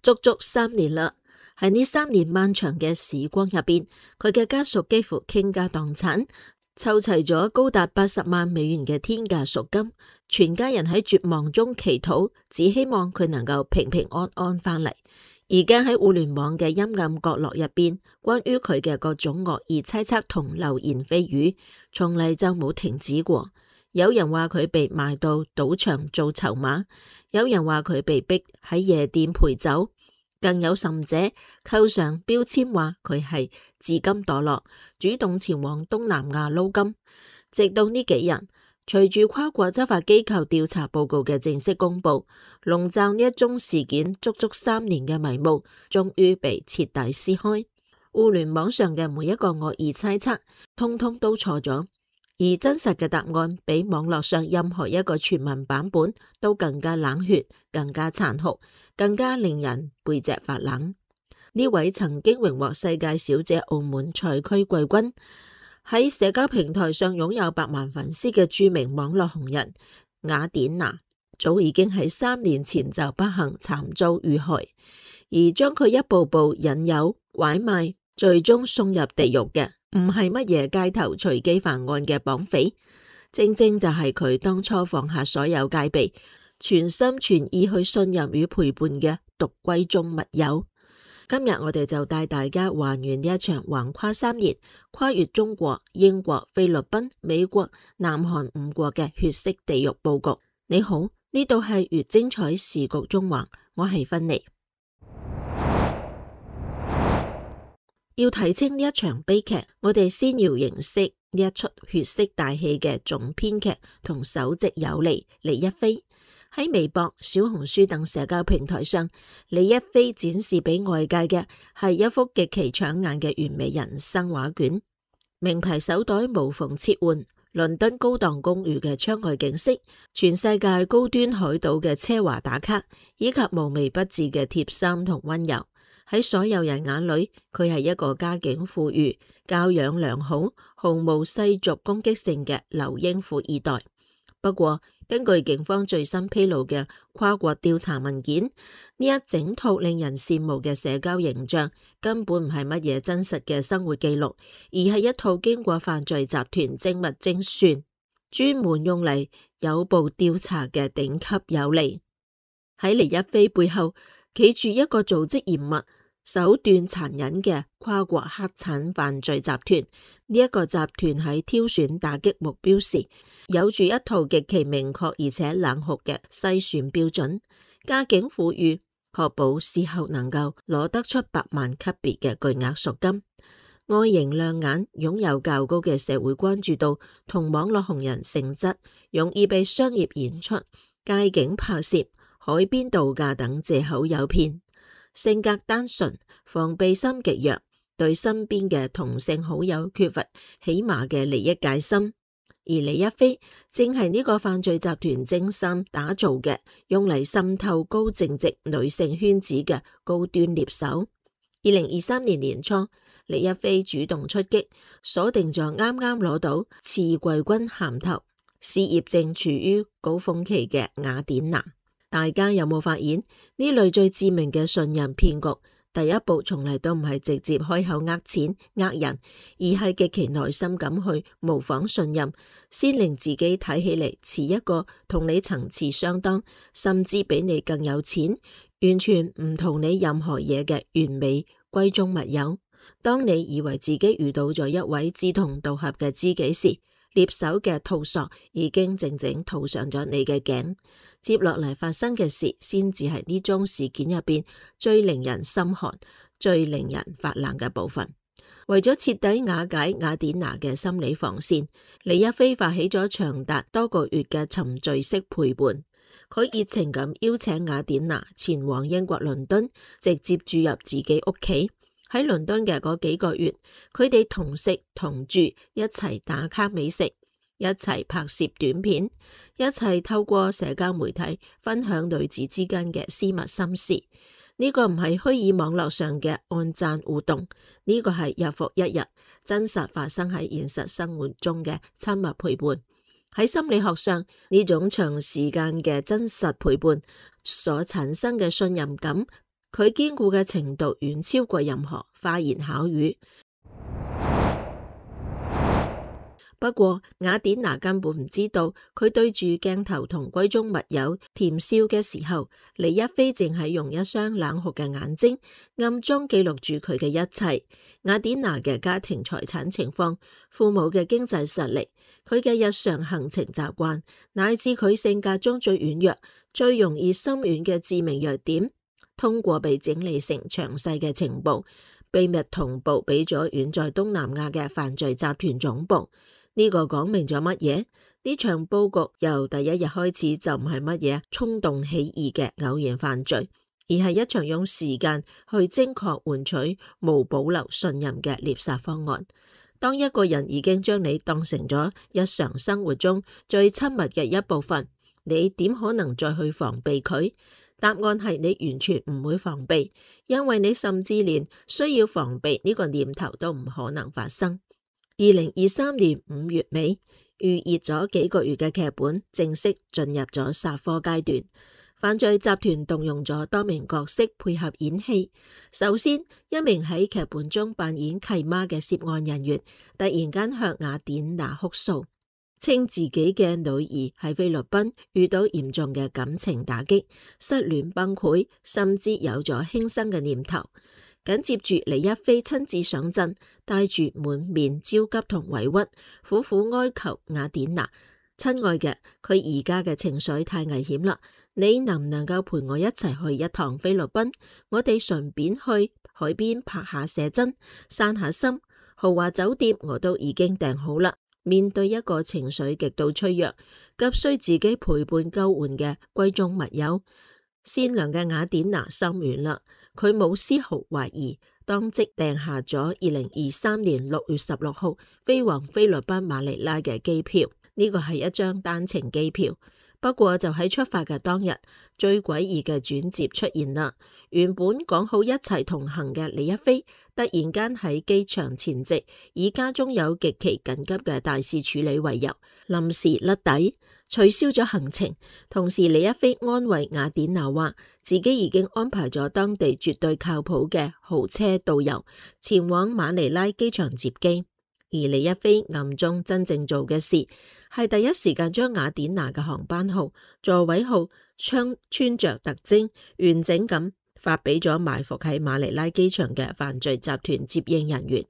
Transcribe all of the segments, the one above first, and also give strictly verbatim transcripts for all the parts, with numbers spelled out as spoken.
足足三年啦。喺呢三年漫長嘅時光入邊，佢嘅家屬幾乎傾家蕩產，湊齊咗高達八十萬美元嘅天價贖金。全家人喺絕望中祈禱，只希望佢能夠平平安安返嚟。而家喺互聯網嘅陰暗角落入邊，關於佢嘅各種惡意猜測同流言蜚語，從嚟就冇停止過。有人話佢被賣到賭場做籌碼，有人話佢被逼喺夜店陪酒，更有甚者扣上標籤話佢係自甘墮落，主動前往東南亞撈金。直到呢幾日，隨住跨國執法機構調查報告嘅正式公布，籠罩呢一宗事件足足三年嘅迷霧，終於被徹底撕開。互聯網上嘅每一個惡意猜測，通通都錯咗。而真實嘅答案比網絡上任何一個傳聞版本都更加冷血、更加殘酷、更加令人背脊發冷。呢位曾經榮獲世界小姐澳門賽區季軍，喺社交平台上擁有百萬粉絲嘅著名網絡紅人雅典娜，早已經喺三年前就不幸慘遭遇害，而將佢一步步引誘、拐賣，最終送入地獄嘅，唔係乜嘢街頭隨機犯案嘅綁匪，正正就係佢當初放下所有戒備，全心全意去信任與陪伴嘅獨閨中密友。今日我哋就帶大家還原呢一場橫跨三年、跨越中國、英國、菲律賓、美國、南韓五國嘅血色地獄佈局。你好，呢度係越精彩時局縱橫，我係芬妮。要睇清呢一場悲劇，我哋先要認識呢一出血色大戲嘅總編劇同首席有利李一飛。喺微博、小紅書等社交平台上，李一飛展示俾外界嘅係一幅極其搶眼嘅完美人生畫卷，名牌手袋無縫切換，倫敦高檔公寓嘅窗外景色，全世界高端海島嘅奢華打卡，以及無微不至嘅貼心同溫柔。喺所有人眼裏，佢係一個家境富裕、教養良好、毫無世俗攻擊性嘅留英富二代。不過，根據警方最新披露嘅跨國調查文件，呢一整套令人羨慕嘅社交形象根本唔係乜嘢真實嘅生活記錄，而係一套經過犯罪集團精密精算、專門用嚟誘捕調查嘅頂級有利。喺李一飛背後企住一個組織嚴密、手段殘忍嘅跨國黑產犯罪集團。呢一個集團喺挑選打擊目標時，有住一套極其明確而且冷酷嘅篩選標準。家境富裕，確保事後能夠攞得出百萬級別嘅巨額贖金。外形亮眼，擁有較高嘅社會關注度同網絡紅人性質，容易被商業演出、街景拍攝、海邊度假等借口誘騙。性格單純，防備心極弱，對身邊嘅同性好友缺乏起碼嘅利益戒心。而李一飛正係呢個犯罪集團精心打造嘅，用嚟滲透高淨值女性圈子嘅高端獵手。二零二三年年初，李一飛主動出擊，鎖定咗啱啱攞到次季軍銜頭、事業正處於高峰期嘅雅典娜。大家有冇發現呢類最致命嘅信任騙局？第一步從嚟都唔係直接開口呃錢呃人，而係極其耐心咁去模仿信任，先令自己睇起嚟似一個同你層次相當，甚至比你更有錢，完全唔同你任何嘢嘅完美閨中密友。當你以為自己遇到咗一位志同道合嘅知己時，獵手嘅套索已經靜靜套上咗你嘅頸。接落嚟發生嘅事，先至係呢宗事件入邊最令人心寒、最令人發冷嘅部分。為咗徹底瓦解雅典娜嘅心理防線，李一飛發起咗長達多個月嘅沉醉式陪伴。佢熱情咁邀請雅典娜前往英國倫敦，直接住入自己屋企。喺倫敦嘅嗰幾個月，佢哋同食同住，一齊打卡美食，一齊拍攝短片，一齊透過社交媒體分享女子之間嘅私密心事。呢個唔係虛擬網絡上嘅按讚互動，呢個係日復一日真實發生喺現實生活中嘅親密陪伴。喺心理學上，呢種長時間嘅真實陪伴所產生嘅信任感，佢堅固嘅程度遠超過任何花言巧語。不過雅典娜根本唔知道，佢對住鏡頭同閨中密友甜笑嘅時候，李一飛淨係用一雙冷酷嘅眼睛暗中記錄住佢嘅一切。雅典娜嘅家庭財產情況、父母嘅經濟實力、佢嘅日常行程習慣，乃至佢性格中最軟弱、最容易心軟嘅致命弱點，通過被整理成詳細嘅情報，秘密同步俾咗遠在東南亞嘅犯罪集團總部。呢個講明咗乜嘢？呢場佈局由第一日開始就唔係乜嘢衝動起義嘅偶然犯罪，而係一場用時間去精確換取無保留信任嘅獵殺方案。當一個人已經將你當成咗日常生活中最親密嘅一部分，你點可能再去防備佢？答案係你完全唔會防備，因為你甚至連需要防備呢個念頭都唔可能發生。二零二三年五月尾，預熱咗幾個月嘅劇本正式進入咗殺科階段。犯罪集團動用咗多名角色配合演戲。首先，一名喺劇本中扮演契媽嘅涉案人員突然間向雅典娜哭訴，稱自己嘅女兒喺菲律賓遇到嚴重嘅感情打擊，失戀崩潰，甚至有咗輕生嘅念頭。緊接住，李一飛親自上陣，帶住滿面焦急同委屈，苦苦哀求雅典娜：親愛嘅，佢而家嘅情緒太危險啦，你能唔能夠陪我一齊去一趟菲律賓？我哋順便去海邊拍下寫真，散下心。豪華酒店我都已經訂好啦。面對一個情緒極度脆弱、急需自己陪伴救援嘅閨中密友，善良嘅雅典娜心軟啦。佢冇絲毫懷疑，當即訂下咗二零二三年六月十六號飛往菲律賓馬尼拉嘅機票。呢個係一張單程機票。不過就喺出發嘅當日，最詭異嘅轉折出現啦。原本講好一齊同行嘅李一飛，突然間喺機場前夕，以家中有極其緊急嘅大事處理為由，臨時甩底，取消咗行程。同時，李一飛安慰雅典娜話，自己已經安排咗當地絕對靠譜嘅豪車導遊前往馬尼拉機場接機。而李一飛暗中真正做嘅事，係第一時間將雅典娜嘅航班號、座位號、穿穿着特徵完整咁發俾咗埋伏喺馬尼拉機場嘅犯罪集團接應人員。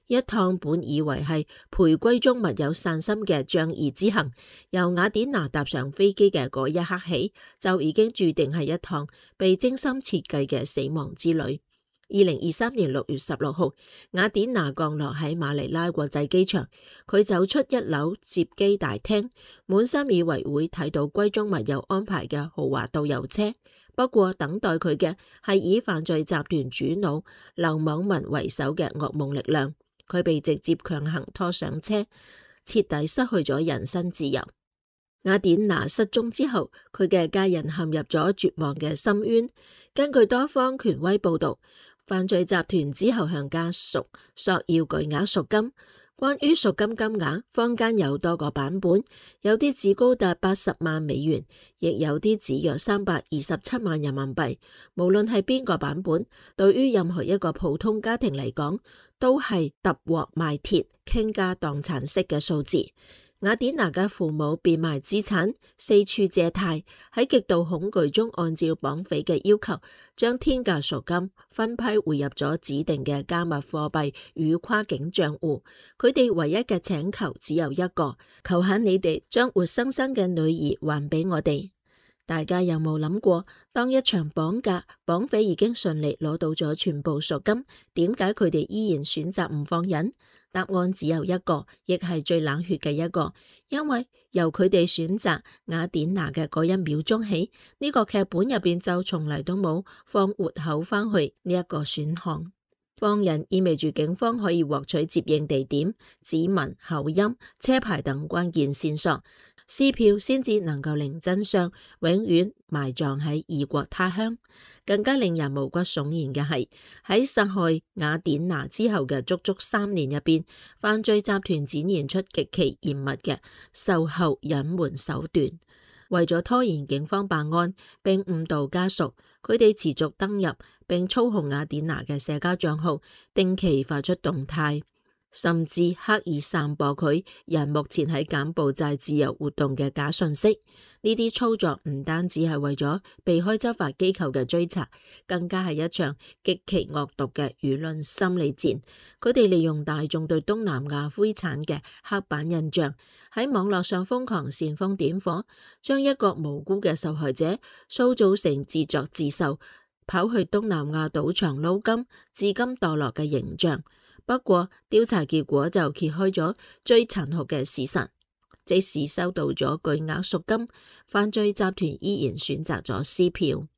一趟本以為係陪閨中密友散心嘅仗義之行，由雅典娜搭上飛機嘅嗰一刻起，就已經注定係一趟被精心設計嘅死亡之旅。二零二三年六月十六號，雅典娜降落喺馬尼拉國際機場，佢走出一樓接機大廳，滿心以為會睇到閨中密友安排嘅豪華導遊車。不過等待佢嘅係以犯罪集團主腦劉某文為首嘅噩夢力量。佢被直接強行拖上車，徹底失去咗人身自由。雅典娜失蹤之後，佢嘅家人陷入咗絕望嘅深淵。根據多方權威報道，犯罪集團之後向家屬索要巨額贖金。關於贖金金額，坊間有多個版本，有啲指高達八十萬美元，亦有啲指約三百二十七萬人民幣。無論係邊個版本，對於任何一個普通家庭嚟講，都係揼鑊賣鐵、傾家蕩產式嘅數字。雅典娜嘅父母變賣資產，四處借貸，喺極度恐懼中，按照綁匪嘅要求，將天價贖金分批匯入咗指定嘅加密貨幣與跨境賬戶。佢哋唯一嘅請求只有一個：求下你哋將活生生嘅女兒還俾我哋。大家有冇諗過，當一場綁架，綁匪已經順利攞到咗全部贖金，點解佢哋依然選擇唔放人？答案只有一個，亦係最冷血嘅一個，因為由佢哋選擇雅典娜嘅嗰一秒鐘起，呢個劇本入邊就從嚟都冇放活口返去呢一個選項。放人意味住警方可以獲取接應地點、指紋、口音、車牌等關鍵線索，撕票先至能夠令真相永遠埋葬喺異國他鄉。更加令人毛骨悚然嘅係，喺殺害雅典娜之後嘅足足三年入邊，犯罪集團展現出極其嚴密嘅售後隱瞞手段。為咗拖延警方辦案並誤導家屬，佢哋持續登入並操控雅典娜嘅社交賬號，定期發出動態，甚至刻意散播佢人目前喺柬埔寨自由活動嘅假信息。呢啲操作唔單止係為咗避開執法機構嘅追查，更加係一場極其惡毒嘅輿論心理戰。佢哋利用大眾對東南亞灰產嘅刻板印象，喺網絡上瘋狂煽風點火，將一個無辜嘅受害者塑造成自作自受，跑去東南亞賭場撈金、至今墮落嘅形象。不過調查結果就揭開咗最殘酷嘅事實。即使收到咗巨額贖金，犯罪集團依然選擇咗撕票。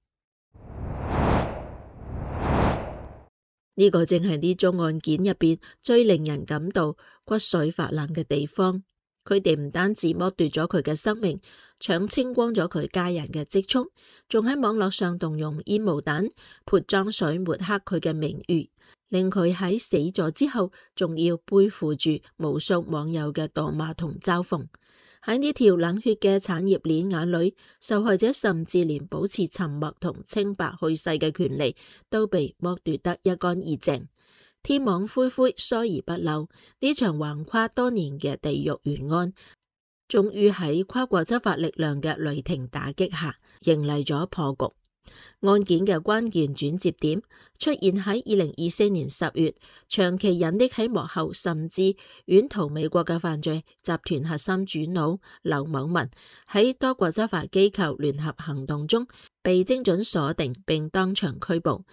呢個正係呢宗案件入邊最令人感到骨髓發冷嘅地方。佢哋唔單止剝奪咗佢嘅生命，搶清光咗佢家人嘅積蓄，仲喺網絡上動用煙霧彈、潑髒水抹黑佢嘅名譽，令佢喺死咗之後仲要背負住無數網友嘅唾罵同嘲諷。喺呢條冷血嘅產業鏈眼裏，受害者甚至連保持沉默同清白去世嘅權利都被剝奪得一乾二淨。天網恢恢，疏而不漏，呢場橫跨多年嘅地獄懸案，終於喺跨國執法力量嘅雷霆打擊下，迎嚟咗破局。案件嘅關鍵轉折點出現喺二零二四年十月，長期隱匿喺幕後甚至遠逃美國嘅犯罪集團核心主腦劉某文喺多國執法機構聯合行動中被精準鎖定並當場拘捕。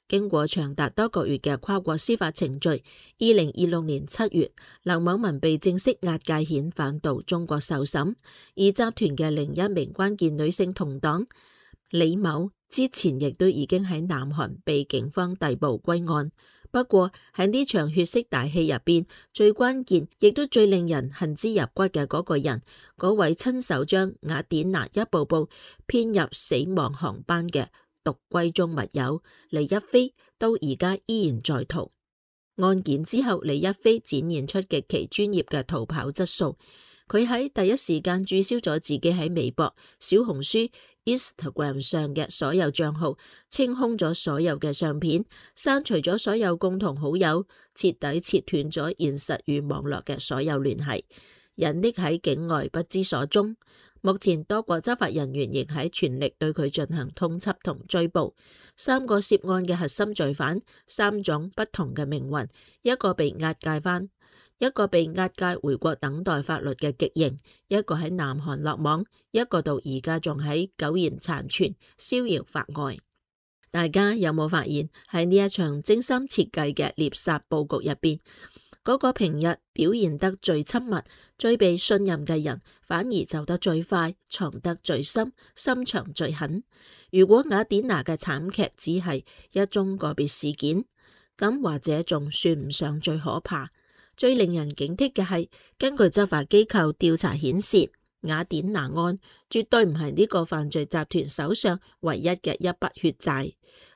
經過長達多個月嘅跨國司法程序，二零二六年七月，劉某文被正式押解遣返到中國受審，而集團嘅另一名關鍵女性同黨李某之前亦都已經喺南韓被警方逮捕歸案。不過喺呢場血色大戲入邊，最關鍵亦都最令人恨之入骨嘅嗰個人，嗰位親手將雅典娜一步步騙入死亡航班嘅毒閨中密友李一飛，到而家依然在逃。案件之後，李一飛展現出極其專業嘅逃跑質素。佢喺第一時間註銷咗自己喺微博、小紅書、Instagram 上嘅所有賬號，清空咗所有嘅相片，刪除咗所有共同好友，徹底切斷咗現實與網絡嘅所有聯繫，隱匿喺境外不知所蹤。目前多國執法人員仍喺全力對佢進行通緝同追捕。三個涉案嘅核心罪犯，三種不同嘅命運，一個被押解返，一個被押解回國等待法律嘅極刑，一個喺南韓落網，一個到而家仲喺苟延殘存逍遙法外。大家有冇發現喺呢一場精心設計嘅獵殺佈局入邊，嗰個平日表現得最親密、最被信任嘅人，反而走得最快、藏得最深、心腸最狠。如果雅典娜嘅慘劇只係一宗個別事件，咁或者仲算唔上最可怕。最令人警惕嘅係，根據執法機構調查顯示，雅典娜案絕對唔係呢個犯罪集團手上唯一嘅一筆血債。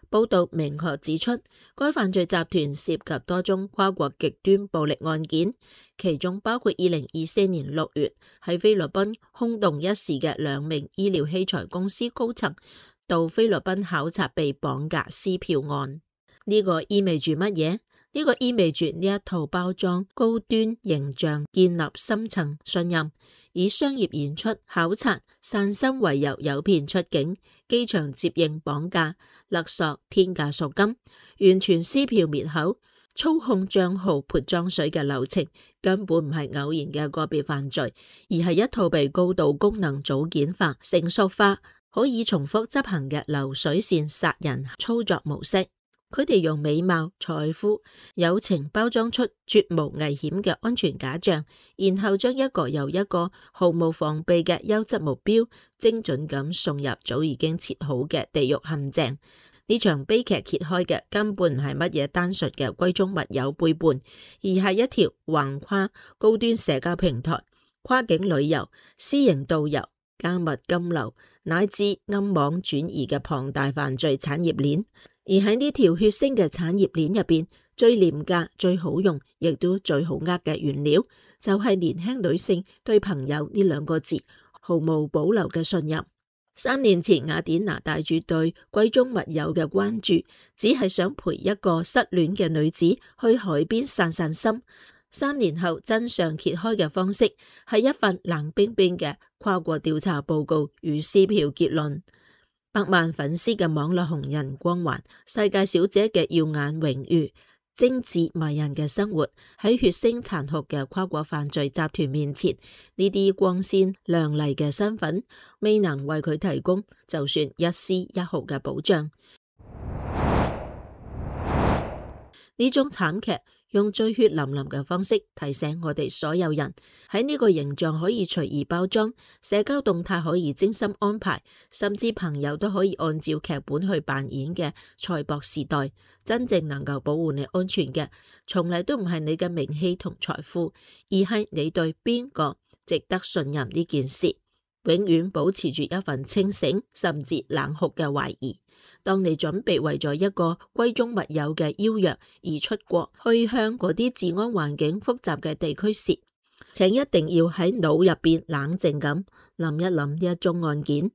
報道明確指出，該犯罪集團涉及多宗跨國極端暴力案件，其中包括二零二四年六月喺菲律賓轟動一時嘅兩名醫療器材公司高層到菲律賓考察被綁架撕票案。呢個意味住乜嘢？呢個意味住呢一套包裝高端形象、建立深層信任，以商業演出、考察、散心為由誘騙出境，機場接應綁架、勒索、天價贖金，完全撕票滅口、操控賬號潑髒水嘅流程，根本唔係偶然嘅個別犯罪，而係一套被高度功能組件化、成熟化、可以重複執行嘅流水線殺人操作模式。佢哋用美貌、財富、友情包裝出絕無危險嘅安全假象，然後將一個又一個毫無防備嘅優質目標精準咁送入早已經設好嘅地獄陷阱。呢場悲劇揭開嘅根本唔係乜嘢單純嘅閨中密友背叛，而係一條橫跨高端社交平台、跨境旅遊、私營導遊、加密金流乃至暗網轉移嘅龐大犯罪產業鏈。而喺呢條血腥嘅產業鏈入邊，最廉價、最好用，亦都最好呃嘅原料，就係年輕女性對朋友呢兩個字毫無保留嘅信任。三年前，雅典娜帶住對閨中密友嘅關注，只係想陪一個失戀嘅女子去海邊散散心。三年後，真相揭開嘅方式係一份冷冰冰嘅跨國調查報告與撕票結論。百萬粉絲嘅網絡紅人光環，世界小姐嘅耀眼榮譽，精緻迷人嘅生活，喺血腥殘酷嘅跨國犯罪集團面前，呢啲光鮮亮麗嘅身份未能為佢提供就算一絲一毫嘅保障。呢種慘劇用最血淋淋嘅方式提醒我哋所有人，喺呢個形象可以隨意包裝，社交動態可以精心安排，甚至朋友都可以按照劇本去扮演嘅賽博時代，真正能夠保護你安全嘅，從嚟都唔係你嘅名氣同財富，而係你對邊個值得信任呢件事。永遠保持住一份清醒甚至冷酷嘅懷疑。當你準備為咗一個閨中密友嘅邀約而出國，去向嗰啲治安環境複雜嘅地區時，請一定要喺腦入邊冷靜咁諗一諗呢一宗案件。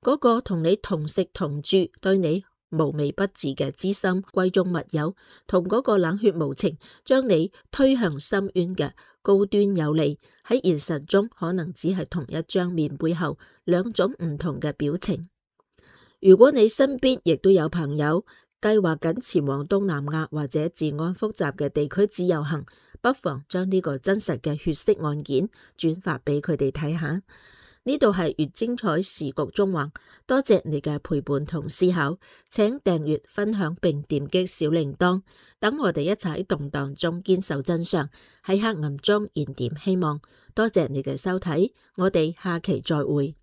嗰個同你同食同住、對你無微不至嘅知心閨中密友，同嗰個冷血無情將你推向深淵嘅高端有利，喺現實中可能只係同一張面背後兩種唔同嘅表情。如果你身邊亦都有朋友計劃緊前往東南亞或者治安複雜嘅地區自由行，不妨將呢個真實嘅血色案件轉發俾佢哋睇下。呢度係越精彩時局縱橫，多謝你嘅陪伴同思考，請訂閱、分享並點擊小鈴鐺，等我哋一齊喺動盪中堅守真相，喺黑暗中燃點希望。多謝你嘅收睇，我哋下期再會。